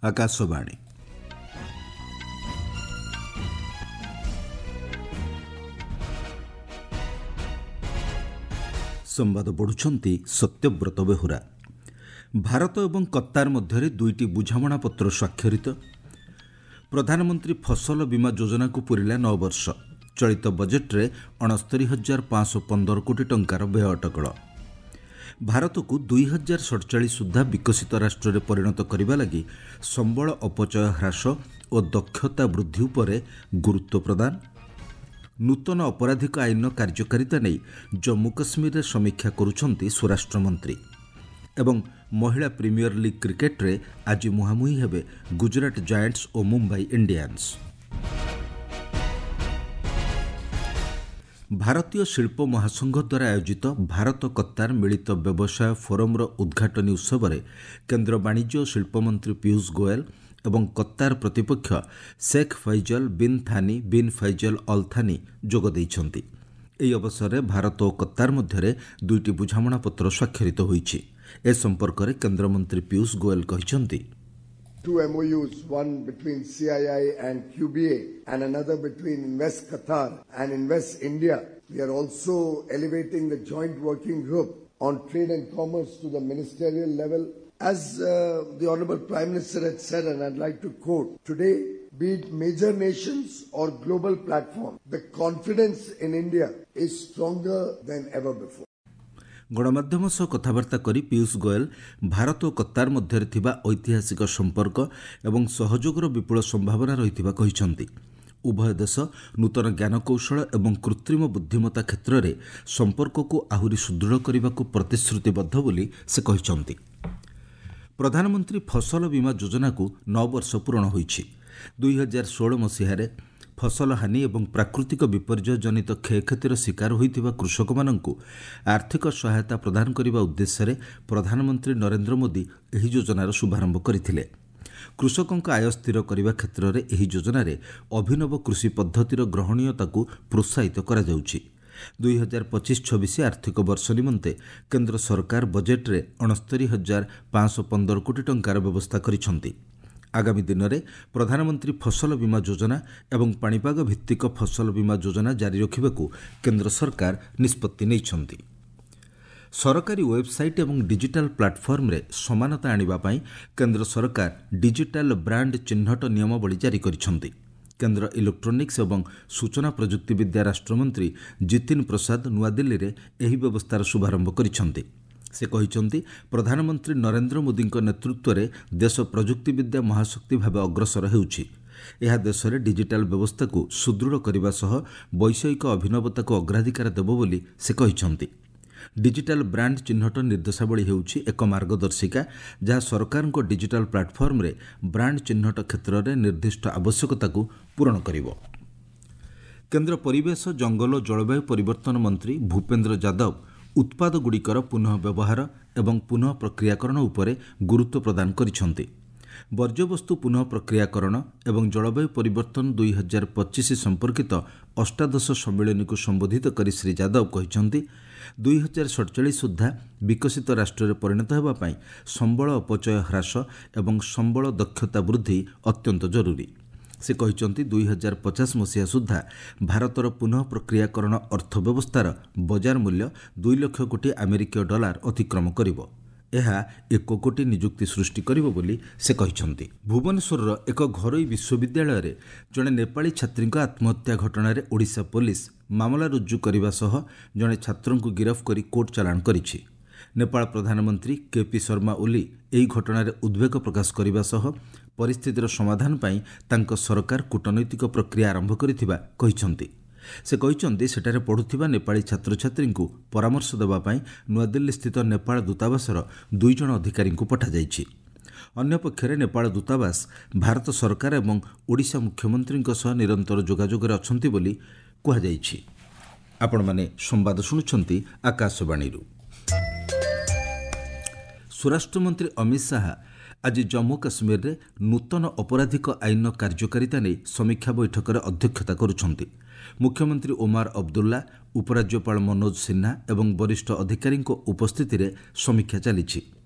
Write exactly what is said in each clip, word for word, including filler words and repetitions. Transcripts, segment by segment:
ଆକାଶବାଣୀ। ସମ୍ବାଦ ପଢ଼ୁଛନ୍ତି ସତ୍ୟବ୍ରତ ବେହୁରା। ଭାରତ ଏବଂ କତ୍ତାର ମଧ୍ୟରେ ଦୁଇଟି ବୁଝାମଣାପତ୍ର ସ୍ୱାକ୍ଷରିତ। ପ୍ରଧାନମନ୍ତ୍ରୀ ଫସଲ ବୀମା ଯୋଜନାକୁ ପୂରିଲା ନଅ ବର୍ଷ। ଚଳିତ ବଜେଟ୍ରେ ଅଣସ୍ତରୀ ହଜାର ପାଞ୍ଚଶହ ପନ୍ଦର କୋଟି ଟଙ୍କାର ବ୍ୟୟ ଅଟକଳ। ଭାରତକୁ ଦୁଇ ହଜାର ସଡ଼ଚାଳିଶ ସୁଦ୍ଧା ବିକଶିତ ରାଷ୍ଟ୍ରରେ ପରିଣତ କରିବା ଲାଗି ସମ୍ବଳ ଅପଚୟ ହ୍ରାସ ଓ ଦକ୍ଷତା ବୃଦ୍ଧି ଉପରେ ଗୁରୁତ୍ୱ ପ୍ରଦାନ। ନୂତନ ଅପରାଧିକ ଆଇନର କାର୍ଯ୍ୟକାରିତା ନେଇ ଜମ୍ମୁ କାଶ୍ମୀରରେ ସମୀକ୍ଷା କରୁଛନ୍ତି ସ୍ୱରାଷ୍ଟ୍ରମନ୍ତ୍ରୀ। ଏବଂ ମହିଳା ପ୍ରିମିୟର ଲିଗ୍ କ୍ରିକେଟ୍ରେ ଆଜି ମୁହାଁମୁହିଁ ହେବେ ଗୁଜରାଟ ଜାଏଣ୍ଟସ୍ ଓ ମୁମ୍ବାଇ ଇଣ୍ଡିଆନ୍ସ। ଭାରତୀୟ ଶିଳ୍ପ ମହାସଂଘ ଦ୍ୱାରା ଆୟୋଜିତ ଭାରତ କତ୍ତାର ମିଳିତ ବ୍ୟବସାୟ ଫୋରମ୍ର ଉଦ୍ଘାଟନୀ ଉତ୍ସବରେ କେନ୍ଦ୍ର ବାଣିଜ୍ୟ ଓ ଶିଳ୍ପମନ୍ତ୍ରୀ ପୀୟୁଷ ଗୋଏଲ ଏବଂ କତ୍ତାର ପ୍ରତିପକ୍ଷ Sheikh Faisal bin Thani bin Faisal Al Thani ଯୋଗ ଦେଇଛନ୍ତି। ଏହି ଅବସରରେ ଭାରତ ଓ କତ୍ତାର ମଧ୍ୟରେ ଦୁଇଟି ବୁଝାମଣାପତ୍ର ସ୍ୱାକ୍ଷରିତ ହୋଇଛି। ଏ ସମ୍ପର୍କରେ କେନ୍ଦ୍ରମନ୍ତ୍ରୀ ପୀୟୁଷ ଗୋଏଲ କହିଛନ୍ତି, Two M O Us, one between C I I and Q B A and another between Invest Qatar and Invest India. We are also elevating the joint working group on trade and commerce to the ministerial level. As uh, the Honorable Prime Minister had said, and I'd like to quote, today, be it major nations or global platform, the confidence in India is stronger than ever before. ଗଣମାଧ୍ୟମ ସହ କଥାବାର୍ତ୍ତା କରି ପୀୟୁଷ ଗୋଏଲ ଭାରତ ଓ Qatar ମଧ୍ୟରେ ଥିବା ଐତିହାସିକ ସମ୍ପର୍କ ଏବଂ ସହଯୋଗର ବିପୁଳ ସମ୍ଭାବନା ରହିଥିବା କହିଛନ୍ତି। ଉଭୟ ଦେଶ ନୂତନ ଜ୍ଞାନକୌଶଳ ଏବଂ କୃତ୍ରିମ ବୁଦ୍ଧିମତ୍ତା କ୍ଷେତ୍ରରେ ସମ୍ପର୍କକୁ ଆହୁରି ସୁଦୃଢ଼ କରିବାକୁ ପ୍ରତିଶ୍ରୁତିବଦ୍ଧ ବୋଲି ସେ କହିଛନ୍ତି। ପ୍ରଧାନମନ୍ତ୍ରୀ ଫସଲ ବୀମା ଯୋଜନାକୁ ନଅ ବର୍ଷ ପୂରଣ ହୋଇଛି। ଦୁଇ ହଜାର ଷୋହଳ ମସିହାରେ ଫସଲ ହାନି ଏବଂ ପ୍ରାକୃତିକ ବିପର୍ଯ୍ୟୟ ଜନିତ କ୍ଷୟକ୍ଷତିର ଶିକାର ହୋଇଥିବା କୃଷକମାନଙ୍କୁ ଆର୍ଥିକ ସହାୟତା ପ୍ରଦାନ କରିବା ଉଦ୍ଦେଶ୍ୟରେ ପ୍ରଧାନମନ୍ତ୍ରୀ ନରେନ୍ଦ୍ର ମୋଦି ଏହି ଯୋଜନାର ଶୁଭାରମ୍ଭ କରିଥିଲେ। କୃଷକଙ୍କ ଆୟ ସ୍ଥିର କରିବା କ୍ଷେତ୍ରରେ ଏହି ଯୋଜନାରେ ଅଭିନବ କୃଷି ପଦ୍ଧତିର ଗ୍ରହଣୀୟତାକୁ ପ୍ରୋତ୍ସାହିତ କରାଯାଉଛି। ଦୁଇ ହଜାର ପଚିଶ ଛବିଶ ଆର୍ଥିକ ବର୍ଷ ନିମନ୍ତେ କେନ୍ଦ୍ର ସରକାର ବଜେଟ୍ରେ ଅଣସ୍ତରୀ ହଜାର ପାଞ୍ଚଶହ ପନ୍ଦର କୋଟି ଟଙ୍କାର ବ୍ୟବସ୍ଥା କରିଛନ୍ତି। ଆଗାମୀ ଦିନରେ ପ୍ରଧାନମନ୍ତ୍ରୀ ଫସଲ ବୀମା ଯୋଜନା ଏବଂ ପାଣିପାଗ ଭିତ୍ତିକ ଫସଲ ବୀମା ଯୋଜନା ଜାରି ରଖିବାକୁ କେନ୍ଦ୍ର ସରକାର ନିଷ୍ପତ୍ତି ନେଇଛନ୍ତି। ସରକାରୀ ୱେବ୍ସାଇଟ୍ ଏବଂ ଡିଜିଟାଲ ପ୍ଲାଟଫର୍ମରେ ସମାନତା ଆଣିବା ପାଇଁ କେନ୍ଦ୍ର ସରକାର ଡିଜିଟାଲ ବ୍ରାଣ୍ଡ ଚିହ୍ନଟ ନିୟମାବଳୀ ଜାରି କରିଛନ୍ତି। କେନ୍ଦ୍ର ଇଲେକ୍ଟ୍ରୋନିକ୍ସ ଏବଂ ସୂଚନା ପ୍ରଯୁକ୍ତିବିଦ୍ୟା ରାଷ୍ଟ୍ରମନ୍ତ୍ରୀ ଜିତିନ ପ୍ରସାଦ ନୂଆଦିଲ୍ଲୀରେ ଏହି ବ୍ୟବସ୍ଥାର ଶୁଭାରମ୍ଭ କରିଛନ୍ତି। ସେ କହିଛନ୍ତି, ପ୍ରଧାନମନ୍ତ୍ରୀ ନରେନ୍ଦ୍ର ମୋଦିଙ୍କ ନେତୃତ୍ୱରେ ଦେଶ ପ୍ରଯୁକ୍ତିବିଦ୍ୟା ମହାଶକ୍ତି ଭାବେ ଅଗ୍ରସର ହେଉଛି। ଏହା ଦେଶରେ ଡିଜିଟାଲ ବ୍ୟବସ୍ଥାକୁ ସୁଦୃଢ଼ କରିବା ସହ ବୈଷୟିକ ଅଭିନବତାକୁ ଅଗ୍ରାଧିକାର ଦେବ ବୋଲି ସେ କହିଛନ୍ତି। ଡିଜିଟାଲ ବ୍ରାଣ୍ଡ ଚିହ୍ନଟ ନିର୍ଦ୍ଦେଶାବଳୀ ହେଉଛି ଏକ ମାର୍ଗଦର୍ଶିକା ଯାହା ସରକାରଙ୍କ ଡିଜିଟାଲ ପ୍ଲାଟଫର୍ମରେ ବ୍ରାଣ୍ଡ ଚିହ୍ନଟ କ୍ଷେତ୍ରରେ ନିର୍ଦ୍ଦିଷ୍ଟ ଆବଶ୍ୟକତାକୁ ପୂରଣ କରିବ। କେନ୍ଦ୍ର ପରିବେଶ, ଜଙ୍ଗଲ ଓ ଜଳବାୟୁ ପରିବର୍ତ୍ତନ ମନ୍ତ୍ରୀ ଭୂପେନ୍ଦ୍ର ଯାଦବ ଉତ୍ପାଦଗୁଡ଼ିକର ପୁନଃ ବ୍ୟବହାର ଏବଂ ପୁନଃ ପ୍ରକ୍ରିୟାକରଣ ଉପରେ ଗୁରୁତ୍ୱ ପ୍ରଦାନ କରିଛନ୍ତି। ବର୍ଜ୍ୟବସ୍ତୁ ପୁନଃ ପ୍ରକ୍ରିୟାକରଣ ଏବଂ ଜଳବାୟୁ ପରିବର୍ତ୍ତନ ଦୁଇ ହଜାର ପଚିଶ ସମ୍ପର୍କିତ ଅଷ୍ଟାଦଶ ସମ୍ମିଳନୀକୁ ସମ୍ବୋଧିତ କରି ଶ୍ରୀ ଯାଦବ କହିଛନ୍ତି, ଦୁଇ ହଜାର ସଡ଼ଚାଳିଶ ସୁଦ୍ଧା ବିକଶିତ ରାଷ୍ଟ୍ରରେ ପରିଣତ ହେବା ପାଇଁ ସମ୍ବଳ ଅପଚୟ ହ୍ରାସ ଏବଂ ସମ୍ବଳ ଦକ୍ଷତା ବୃଦ୍ଧି ଅତ୍ୟନ୍ତ ଜରୁରୀ। ସେ କହିଛନ୍ତି, ଦୁଇ ହଜାର ପଚାଶ ମସିହା ସୁଦ୍ଧା ଭାରତର ପୁନଃ ପ୍ରକ୍ରିୟାକରଣ ଅର୍ଥ ବ୍ୟବସ୍ଥାର ବଜାର ମୂଲ୍ୟ ଦୁଇ ଲକ୍ଷ କୋଟି ଆମେରିକୀୟ ଡଲାର ଅତିକ୍ରମ କରିବ। ଏହା ଏକ କୋଟି ନିଯୁକ୍ତି ସୃଷ୍ଟି କରିବ ବୋଲି ସେ କହିଛନ୍ତି। ଭୁବନେଶ୍ୱରର ଏକ ଘରୋଇ ବିଶ୍ୱବିଦ୍ୟାଳୟରେ ଜଣେ ନେପାଳୀ ଛାତ୍ରୀଙ୍କ ଆତ୍ମହତ୍ୟା ଘଟଣାରେ ଓଡ଼ିଶା ପୋଲିସ ମାମଲା ରୁଜୁ କରିବା ସହ ଜଣେ ଛାତ୍ରଙ୍କୁ ଗିରଫ କରି କୋର୍ଟ ଚାଲାଣ କରିଛି। ନେପାଳ ପ୍ରଧାନମନ୍ତ୍ରୀ କେ ପି ଶର୍ମା ଓଲି ଏହି ଘଟଣାରେ ଉଦ୍ବେଗ ପ୍ରକାଶ କରିବା ସହ ପରିସ୍ଥିତିର ସମାଧାନ ପାଇଁ ତାଙ୍କ ସରକାର କୂଟନୈତିକ ପ୍ରକ୍ରିୟା ଆରମ୍ଭ କରିଥିବା କହିଛନ୍ତି। ସେ କହିଛନ୍ତି, ସେଠାରେ ପଢ଼ୁଥିବା ନେପାଳୀ ଛାତ୍ରଛାତ୍ରୀଙ୍କୁ ପରାମର୍ଶ ଦେବା ପାଇଁ ନୂଆଦିଲ୍ଲୀସ୍ଥିତ ନେପାଳ ଦୂତାବାସର ଦୁଇ ଜଣ ଅଧିକାରୀଙ୍କୁ ପଠାଯାଇଛି। ଅନ୍ୟପକ୍ଷରେ ନେପାଳ ଦୂତାବାସ ଭାରତ ସରକାର ଏବଂ ଓଡ଼ିଶା ମୁଖ୍ୟମନ୍ତ୍ରୀଙ୍କ ସହ ନିରନ୍ତର ଯୋଗାଯୋଗରେ ଅଛନ୍ତି ବୋଲି କୁହାଯାଇଛି। ଆପଣମାନେ ସମ୍ବାଦ ଶୁଣୁଛନ୍ତି ଆକାଶବାଣୀରୁ। ସ୍ୱରାଷ୍ଟ୍ରମନ୍ତ୍ରୀ ଅମିତ ଶାହା ଆଜି ଜମ୍ମୁ କାଶ୍ମୀରରେ ନୂତନ ଅପରାଧିକ ଆଇନର କାର୍ଯ୍ୟକାରିତା ନେଇ ସମୀକ୍ଷା ବୈଠକରେ ଅଧ୍ୟକ୍ଷତା କରୁଛନ୍ତି। ମୁଖ୍ୟମନ୍ତ୍ରୀ ଓମାର ଅବଦୁଲ୍ଲା, ଉପରାଜ୍ୟପାଳ ମନୋଜ ସିହ୍ନା ଏବଂ ବରିଷ୍ଠ ଅଧିକାରୀଙ୍କ ଉପସ୍ଥିତିରେ ସମୀକ୍ଷା ଚାଲିଛି।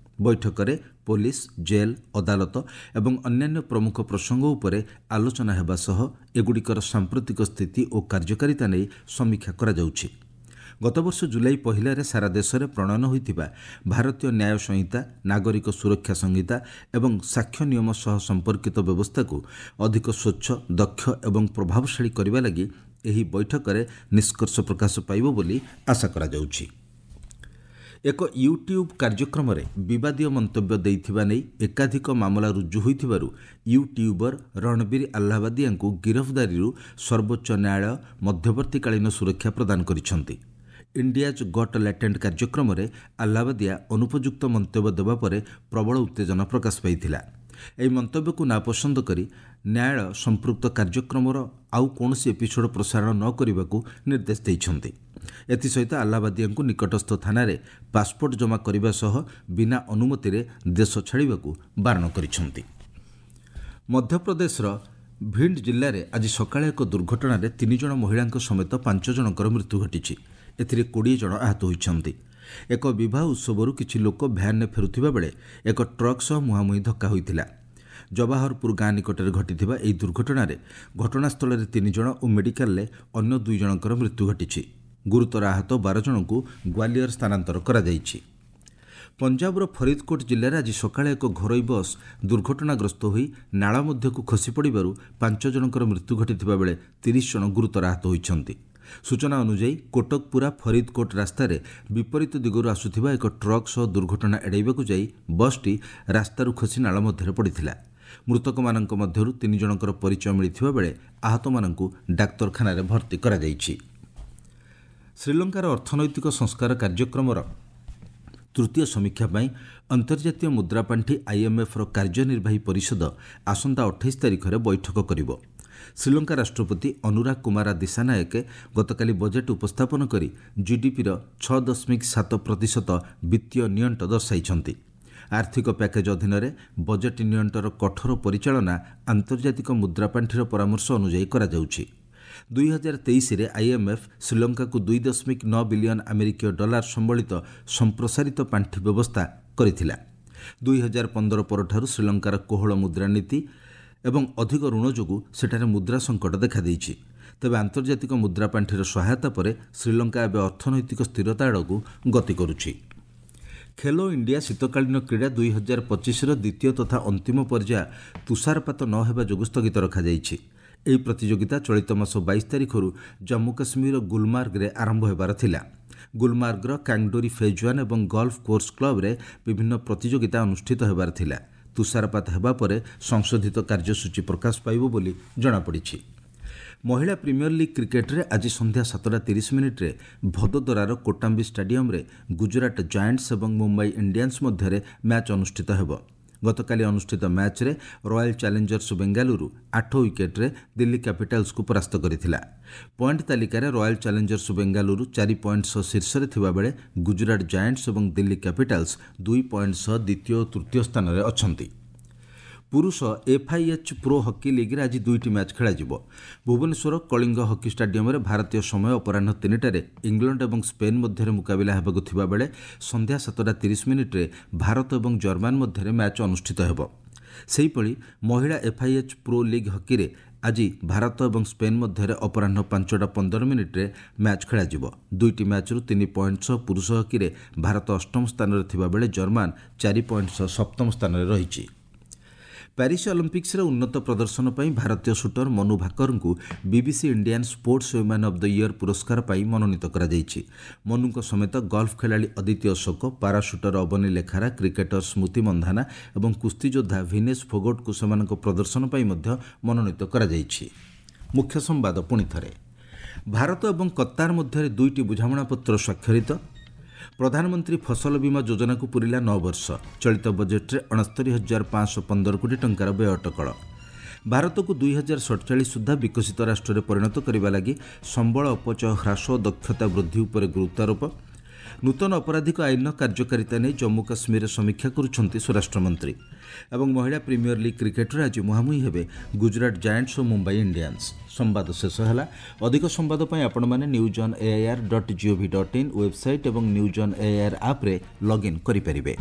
ବୈଠକରେ ପୋଲିସ, ଜେଲ୍, ଅଦାଲତ ଏବଂ ଅନ୍ୟାନ୍ୟ ପ୍ରମୁଖ ପ୍ରସଙ୍ଗ ଉପରେ ଆଲୋଚନା ହେବା ସହ ଏଗୁଡ଼ିକର ସାମ୍ପ୍ରତିକ ସ୍ଥିତି ଓ କାର୍ଯ୍ୟକାରିତା ନେଇ ସମୀକ୍ଷା କରାଯାଉଛି। ଗତବର୍ଷ ଜୁଲାଇ ପହିଲାରେ ସାରା ଦେଶରେ ପ୍ରଣୟନ ହୋଇଥିବା ଭାରତୀୟ ନ୍ୟାୟ ସଂହିତା, ନାଗରିକ ସୁରକ୍ଷା ସଂହିତା ଏବଂ ସାକ୍ଷ୍ୟ ନିୟମ ସହ ସମ୍ପର୍କିତ ବ୍ୟବସ୍ଥାକୁ ଅଧିକ ସ୍ୱଚ୍ଛ, ଦକ୍ଷ ଏବଂ ପ୍ରଭାବଶାଳୀ କରିବା ଲାଗି ଏହି ବୈଠକରେ ନିଷ୍କର୍ଷ ପ୍ରକାଶ ପାଇବ ବୋଲି ଆଶା କରାଯାଉଛି। ଏକ ୟୁଟ୍ୟୁବ୍ କାର୍ଯ୍ୟକ୍ରମରେ ବିବାଦୀୟ ମନ୍ତବ୍ୟ ଦେଇଥିବା ନେଇ ଏକାଧିକ ମାମଲା ରୁଜୁ ହୋଇଥିବାରୁ ୟୁଟ୍ୟୁବର ରଣବୀର ଆହ୍ଲାବାଦିଆଙ୍କୁ ଗିରଫଦାରୀରୁ ସର୍ବୋଚ୍ଚ ନ୍ୟାୟାଳୟ ମଧ୍ୟବର୍ତ୍ତୀକାଳୀନ ସୁରକ୍ଷା ପ୍ରଦାନ କରିଛନ୍ତି। ଇଣ୍ଡିଆଜ୍ ଗଟ୍ ଲାଟେଣ୍ଟ କାର୍ଯ୍ୟକ୍ରମରେ ଆହ୍ଲାବାଦିଆ ଅନୁପଯୁକ୍ତ ମନ୍ତବ୍ୟ ଦେବା ପରେ ପ୍ରବଳ ଉତ୍ତେଜନା ପ୍ରକାଶ ପାଇଥିଲା। ଏହି ମନ୍ତବ୍ୟକୁ ନାପସନ୍ଦ କରି ନ୍ୟାୟାଳୟ ସମ୍ପୃକ୍ତ କାର୍ଯ୍ୟକ୍ରମର ଆଉ କୌଣସି ଏପିସୋଡ୍ ପ୍ରସାରଣ ନ କରିବାକୁ ନିର୍ଦ୍ଦେଶ ଦେଇଛନ୍ତି। ଏଥିସହିତ ଆହ୍ଲାବାଦିଆଙ୍କୁ ନିକଟସ୍ଥ ଥାନାରେ ପାସପୋର୍ଟ ଜମା କରିବା ସହ ବିନା ଅନୁମତିରେ ଦେଶ ଛାଡ଼ିବାକୁ ବାରଣ କରିଛନ୍ତି। ମଧ୍ୟପ୍ରଦେଶର ଭିଣ୍ଡ ଜିଲ୍ଲାରେ ଆଜି ସକାଳେ ଏକ ଦୁର୍ଘଟଣାରେ ତିନି ଜଣ ମହିଳାଙ୍କ ସମେତ ପାଞ୍ଚ ଜଣଙ୍କର ମୃତ୍ୟୁ ଘଟିଛି। ଏଥିରେ କୋଡ଼ିଏ ଜଣ ଆହତ ହୋଇଛନ୍ତି। ଏକ ବିବାହ ଉତ୍ସବରୁ କିଛି ଲୋକ ଭ୍ୟାନ୍ରେ ଫେରୁଥିବା ବେଳେ ଏକ ଟ୍ରକ୍ ସହ ମୁହାଁମୁହିଁ ଧକ୍କା ହୋଇଥିଲା। ଜବାହରପୁର ଗାଁ ନିକଟରେ ଘଟିଥିବା ଏହି ଦୁର୍ଘଟଣାରେ ଘଟଣାସ୍ଥଳରେ ତିନି ଜଣ ଓ ମେଡିକାଲରେ ଅନ୍ୟ ଦୁଇ ଜଣଙ୍କର ମୃତ୍ୟୁ ଘଟିଛି। ଗୁରୁତର ଆହତ ବାର ଜଣଙ୍କୁ ଗ୍ୱାଲିୟର ସ୍ଥାନାନ୍ତର କରାଯାଇଛି। ପଞ୍ଜାବର ଫରିଦକୋଟ ଜିଲ୍ଲାରେ ଆଜି ସକାଳେ ଏକ ଘରୋଇ ବସ୍ ଦୁର୍ଘଟଣାଗ୍ରସ୍ତ ହୋଇ ନାଳ ମଧ୍ୟକୁ ଖସି ପଡ଼ିବାରୁ ପାଞ୍ଚ ଜଣଙ୍କର ମୃତ୍ୟୁ ଘଟିଥିବା ବେଳେ ତିରିଶ ଜଣ ଗୁରୁତର ଆହତ ହୋଇଛନ୍ତି। ସୂଚନା ଅନୁଯାୟୀ, କୋଟକପୁରା ଫରିଦକୋଟ ରାସ୍ତାରେ ବିପରୀତ ଦିଗରୁ ଆସୁଥିବା ଏକ ଟ୍ରକ୍ ସହ ଦୁର୍ଘଟଣା ଏଡ଼ାଇବାକୁ ଯାଇ ବସ୍ଟି ରାସ୍ତାରୁ ଖସି ନାଳ ମଧ୍ୟରେ ପଡ଼ିଥିଲା। ମୃତକମାନଙ୍କ ମଧ୍ୟରୁ ତିନି ଜଣଙ୍କର ପରିଚୟ ମିଳିଥିବା ବେଳେ ଆହତମାନଙ୍କୁ ଡାକ୍ତରଖାନାରେ ଭର୍ତ୍ତି କରାଯାଇଛି। ଶ୍ରୀଲଙ୍କାର ଅର୍ଥନୈତିକ ସଂସ୍କାର କାର୍ଯ୍ୟକ୍ରମର ତୃତୀୟ ସମୀକ୍ଷା ପାଇଁ ଅନ୍ତର୍ଜାତୀୟ ମୁଦ୍ରାପାଣ୍ଠି ଆଇଏମ୍ଏଫ୍ର କାର୍ଯ୍ୟନିର୍ବାହୀ ପରିଷଦ ଆସନ୍ତା ଅଠେଇଶ ତାରିଖରେ ବୈଠକ କରିବ। ଶ୍ରୀଲଙ୍କା ରାଷ୍ଟ୍ରପତି ଅନୁରାଗ କୁମାରା ଦିଶାନାୟକେ ଗତକାଲି ବଜେଟ୍ ଉପସ୍ଥାପନ କରି ଜିଡିପିର ଛଅ ଦଶମିକ ସାତ ପ୍ରତିଶତ ବିତ୍ତୀୟ ନିଅଣ୍ଟ ଦର୍ଶାଇଛନ୍ତି। ଆର୍ଥିକ ପ୍ୟାକେଜ୍ ଅଧୀନରେ ବଜେଟ୍ ନିଅଣ୍ଟର କଠୋର ପରିଚାଳନା ଆନ୍ତର୍ଜାତିକ ମୁଦ୍ରାପାଣ୍ଠିର ପରାମର୍ଶ ଅନୁଯାୟୀ କରାଯାଉଛି। ଦୁଇ ହଜାର ତେଇଶରେ ଆଇଏମ୍ଏଫ୍ ଶ୍ରୀଲଙ୍କାକୁ ଦୁଇ ଦଶମିକ ନଅ ବିଲିୟନ ଆମେରିକୀୟ ଡଲାର ସମ୍ବଳିତ ସମ୍ପ୍ରସାରିତ ପାଣ୍ଠି ବ୍ୟବସ୍ଥା କରିଥିଲା। ଦୁଇ ହଜାର ପନ୍ଦର ପରଠାରୁ ଶ୍ରୀଲଙ୍କାର କୋହଳ ମୁଦ୍ରାନୀତି ଏବଂ ଅଧିକ ଋଣ ଯୋଗୁଁ ସେଠାରେ ମୁଦ୍ରା ସଙ୍କଟ ଦେଖାଦେଇଛି। ତେବେ ଆନ୍ତର୍ଜାତିକ ମୁଦ୍ରାପାଣ୍ଠିର ସହାୟତା ପରେ ଶ୍ରୀଲଙ୍କା ଏବେ ଅର୍ଥନୈତିକ ସ୍ଥିରତା ଆଡ଼କୁ ଗତି କରୁଛି। ଖେଲୋ ଇଣ୍ଡିଆ ଶୀତକାଳୀନ କ୍ରୀଡ଼ା ଦୁଇ ହଜାର ପଚିଶର ଦ୍ୱିତୀୟ ତଥା ଅନ୍ତିମ ପର୍ଯ୍ୟାୟ ତୁଷାରପାତ ନ ହେବା ଯୋଗୁଁ ସ୍ଥଗିତ ରଖାଯାଇଛି। ଏହି ପ୍ରତିଯୋଗିତା ଚଳିତ ମାସ ବାଇଶ ତାରିଖରୁ ଜମ୍ମୁ କାଶ୍ମୀରର ଗୁଲମାର୍ଗରେ ଆରମ୍ଭ ହେବାର ଥିଲା। ଗୁଲମାର୍ଗର କାଙ୍ଗଡୋରି ଫେଜ୍ ୱାନ୍ ଏବଂ ଗଲ୍ଫ କୋର୍ସ କ୍ଲବ୍ରେ ବିଭିନ୍ନ ପ୍ରତିଯୋଗିତା ଅନୁଷ୍ଠିତ ହେବାର ଥିଲା। ତୁଷାରପାତ ହେବା ପରେ ସଂଶୋଧିତ କାର୍ଯ୍ୟସୂଚୀ ପ୍ରକାଶ ପାଇବ ବୋଲି ଜଣାପଡ଼ିଛି। ମହିଳା ପ୍ରିମିୟର ଲିଗ୍ କ୍ରିକେଟରେ ଆଜି ସନ୍ଧ୍ୟା ସାତଟା ତିରିଶ ମିନିଟ୍ରେ ଭଦୋଦରାର କୋଟାମ୍ବି ଷ୍ଟାଡିୟମରେ ଗୁଜରାଟ ଜାଏଣ୍ଟସ୍ ଏବଂ ମୁମ୍ବାଇ ଇଣ୍ଡିଆନ୍ସ ମଧ୍ୟରେ ମ୍ୟାଚ୍ ଅନୁଷ୍ଠିତ ହେବ। ଗତକାଲି ଅନୁଷ୍ଠିତ ମ୍ୟାଚ୍ରେ ରୟାଲ ଚ୍ୟାଲେଞ୍ଜର୍ସ ବେଙ୍ଗାଲୁରୁ ଆଠ ୱିକେଟ୍ରେ ଦିଲ୍ଲୀ କ୍ୟାପିଟାଲ୍ସକୁ ପରାସ୍ତ କରିଥିଲା। ପଏଣ୍ଟ ତାଲିକାରେ ରୟାଲ ଚ୍ୟାଲେଞ୍ଜର୍ସ ବେଙ୍ଗାଲୁରୁ ଚାରି ପଏଣ୍ଟ ସହ ଶୀର୍ଷରେ ଥିବାବେଳେ ଗୁଜରାଟ ଜାଏଣ୍ଟସ୍ ଏବଂ ଦିଲ୍ଲୀ କ୍ୟାପିଟାଲ୍ସ ଦୁଇ ପଏଣ୍ଟ ସହ ଦ୍ୱିତୀୟ ଓ ତୃତୀୟ ସ୍ଥାନରେ ଅଛନ୍ତି। ପୁରୁଷ ଏଫ୍ଆଇଏଚ୍ ପ୍ରୋ ହକି ଲିଗ୍ରେ ଆଜି ଦୁଇଟି ମ୍ୟାଚ୍ ଖେଳାଯିବ। ଭୁବନେଶ୍ୱର କଳିଙ୍ଗ ହକି ଷ୍ଟାଡିୟମରେ ଭାରତୀୟ ସମୟ ଅପରାହ୍ନ ତିନିଟାରେ ଇଂଲଣ୍ଡ ଏବଂ ସ୍ପେନ୍ ମଧ୍ୟରେ ମୁକାବିଲା ହେବାକୁ ଥିବାବେଳେ ସନ୍ଧ୍ୟା ସାତଟା ତିରିଶ ମିନିଟ୍ରେ ଭାରତ ଏବଂ ଜର୍ମାନ ମଧ୍ୟରେ ମ୍ୟାଚ୍ ଅନୁଷ୍ଠିତ ହେବ। ସେହିଭଳି ମହିଳା ଏଫ୍ଆଇଏଚ୍ ପ୍ରୋ ଲିଗ୍ ହକିରେ ଆଜି ଭାରତ ଏବଂ ସ୍ପେନ୍ ମଧ୍ୟରେ ଅପରାହ୍ନ ପାଞ୍ଚଟା ପନ୍ଦର ମିନିଟ୍ରେ ମ୍ୟାଚ୍ ଖେଳାଯିବ। ଦୁଇଟି ମ୍ୟାଚ୍ରୁ ତିନି ପଏଣ୍ଟ ସହ ପୁରୁଷ ହକିରେ ଭାରତ ଅଷ୍ଟମ ସ୍ଥାନରେ ଥିବାବେଳେ ଜର୍ମାନ ଚାରି ପଏଣ୍ଟ ସହ ସପ୍ତମ ସ୍ଥାନରେ ରହିଛି। ପ୍ୟାରିସ୍ ଅଲିମ୍ପିକ୍ସରେ ଉନ୍ନତ ପ୍ରଦର୍ଶନ ପାଇଁ ଭାରତୀୟ ସୁଟର ମନୁ ଭାକରଙ୍କୁ BBC Indian sports woman of the year ପୁରସ୍କାର ପାଇଁ ମନୋନୀତ କରାଯାଇଛି। ମନୁଙ୍କ ସମେତ ଗଲ୍ଫ ଖେଳାଳି ଅଦିତି ଅଶୋକ, ପାରାସୁଟର ଅବନୀ ଲେଖାରା, କ୍ରିକେଟର ସ୍ମୃତି ମନ୍ଧାନା ଏବଂ କୁସ୍ତିଯୋଦ୍ଧା ଭିନେଶ ଫୋଗଟଙ୍କୁ ସେମାନଙ୍କ ପ୍ରଦର୍ଶନ ପାଇଁ ମଧ୍ୟ ମନୋନୀତ କରାଯାଇଛି। ମୁଖ୍ୟ ସମ୍ବାଦ ପୁଣି ଥରେ, ଭାରତ ଏବଂ କତାର ମଧ୍ୟରେ ଦୁଇଟି ବୁଝାମଣାପତ୍ର ସ୍ୱାକ୍ଷରିତ। ପ୍ରଧାନମନ୍ତ୍ରୀ ଫସଲ ବୀମା ଯୋଜନାକୁ ପୂରିଲା ନଅ ବର୍ଷ। ଚଳିତ ବଜେଟ୍ରେ ଅଣସ୍ତରୀ ହଜାର ପାଞ୍ଚଶହ ପନ୍ଦର କୋଟି ଟଙ୍କାର ବ୍ୟୟ ଅଟକଳ। ଭାରତକୁ ଦୁଇ ହଜାର ସତଚାଳିଶ ସୁଦ୍ଧା ବିକଶିତ ରାଷ୍ଟ୍ରରେ ପରିଣତ କରିବା ଲାଗି ସମ୍ବଳ ଅପଚୟ ହ୍ରାସ ଓ ଦକ୍ଷତା ବୃଦ୍ଧି ଉପରେ ଗୁରୁତ୍ୱାରୋପ। ନୂତନ ଅପରାଧିକ ଆଇନର କାର୍ଯ୍ୟକାରିତା ନେଇ ଜମ୍ମୁ କାଶ୍ମୀରରେ ସମୀକ୍ଷା କରୁଛନ୍ତି ସ୍ୱରାଷ୍ଟ୍ରମନ୍ତ୍ରୀ। ଏବଂ ମହିଳା ପ୍ରିମିୟର ଲିଗ୍ କ୍ରିକେଟରେ ଆଜି ମୁହାଁମୁହିଁ ହେବେ ଗୁଜରାଟ ଜାଏଣ୍ଟସ୍ ଓ ମୁମ୍ବାଇ ଇଣ୍ଡିଆନ୍ସ। ସମ୍ବାଦ ଶେଷ ହେଲା। ଅଧିକ ସମ୍ବାଦ ପାଇଁ ଆପଣମାନେ news on AIR dot gov dot in website ଏବଂ ନ୍ୟୁଜ୍ ଅନ୍ ଏଆଇଆର୍ ଆପ୍ରେ ଲଗ୍ଇନ୍ କରିପାରିବେ।